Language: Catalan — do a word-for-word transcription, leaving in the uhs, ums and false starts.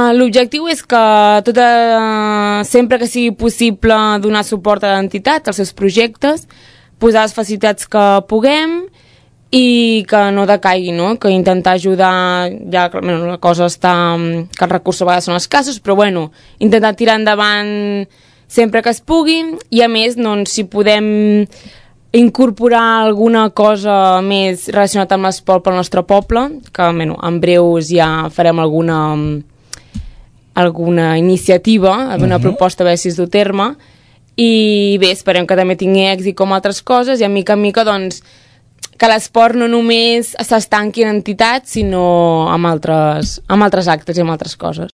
Uh, L'objectiu és que tota, sempre que sigui possible donar suport a l'entitat, als seus projectes, posar les facilitats que puguem i que no decaigui, no? Que intentar ajudar, ja bueno, la cosa està, que els recursos a vegades són escassos, però bueno, intentar tirar endavant sempre que es pugui i a més, doncs, si podem incorporar alguna cosa més relacionada amb l'esport pel nostre poble, que bueno, en breus ja farem alguna alguna iniciativa, alguna uh-huh. proposta a veure si es du terme, i bé, esperem que també tingui èxit com altres coses i a mica en mica doncs que l'esport no només s'estanqui en entitats sinó amb altres, amb altres actes i amb altres coses.